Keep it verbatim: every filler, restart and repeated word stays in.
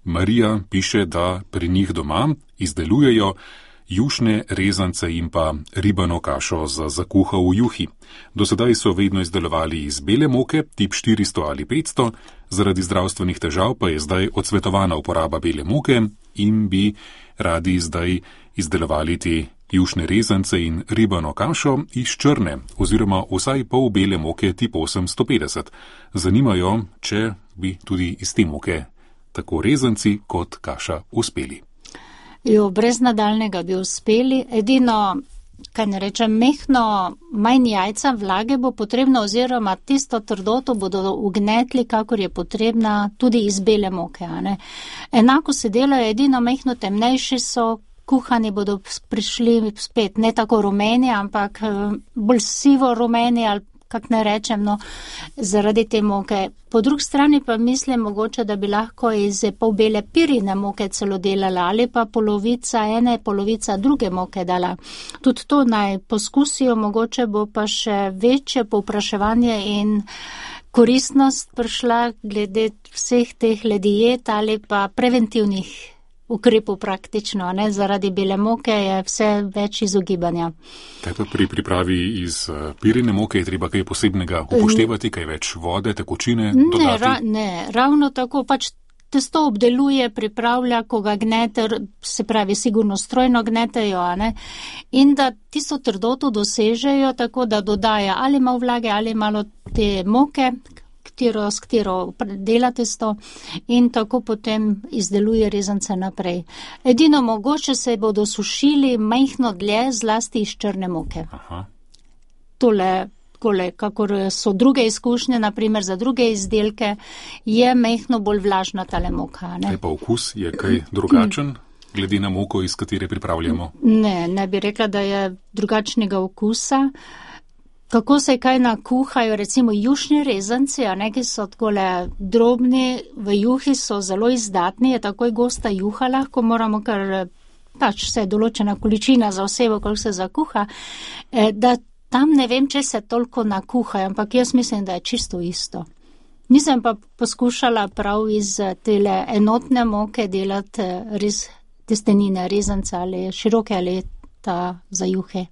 Marija piše, da pri njih doma izdelujejo jušne rezance in pa ribano kašo za zakuha v juhi. Do sedaj so vedno izdelovali iz bele moke, tip štiristo ali petsto, zaradi zdravstvenih težav pa je zdaj odsvetovana uporaba bele moke in bi radi zdaj izdelovali te jušne rezance in ribano kašo iz črne oziroma vsaj pol bele moke tip osemsto petdeset. Zanimajo, če bi tudi iz te moke tako rezanci kot kaša uspeli. Jo, brez nadaljnega bi uspeli. Edino, kaj ne rečem, mehno, manj jajca vlage bo potrebno oziroma tisto trdoto bodo ugnetli, kakor je potrebna tudi iz bele moke. A ne? Enako se delajo, edino mehno temnejši so, kuhani bodo prišli spet ne tako rumeni, ampak bolj sivo rumeni ali kak ne rečem, no, zaradi te moke. Po drugi strani pa mislim mogoče, da bi lahko iz pol bele pirine moke celo delala ali pa polovica ene, polovica druge moke dala. Tudi to naj poskusijo, mogoče bo pa še večje povpraševanje in koristnost prišla glede vseh teh diet ali pa preventivnih ukrepov praktično, ne, zaradi bele moke je vse več izogibanja. Kaj pa pri pripravi iz pirine moke je treba kaj posebnega upoštevati, kaj več vode, tekočine dodati? Ne, ra, ne, ravno tako pač testo obdeluje, pripravlja, ko ga gnete, se pravi sigurno strojno gnetejo, a ne, in da tisto trdoto dosežejo tako, da dodaja ali malo vlage ali malo te moke, Katero, s katero dela testo in tako potem izdeluje rezance naprej. Edino mogoče se bodo sušili majhno dlje, zlasti iz črne moke. Aha. Tole, kole, kakor so druge izkušnje, naprimer za druge izdelke, je majhno bolj vlažna tale moka. Ne? Kaj pa okus je kaj drugačen, glede na moko, iz katere pripravljamo? Ne, ne bi rekla, da je drugačnega okusa. Kako se kaj nakuhajo, recimo jušni rezanci, a ne, ki so takole drobni, v juhi so zelo izdatni, je takoj gosta juha, lahko moramo, ker pač se določena količina za osebo, koliko se zakuha, da tam ne vem, če se toliko nakuhajo, ampak jaz mislim, da je čisto isto. Nisem pa poskušala prav iz tele enotne moke delati res testenine, rezance ali široke ali ta za juhe.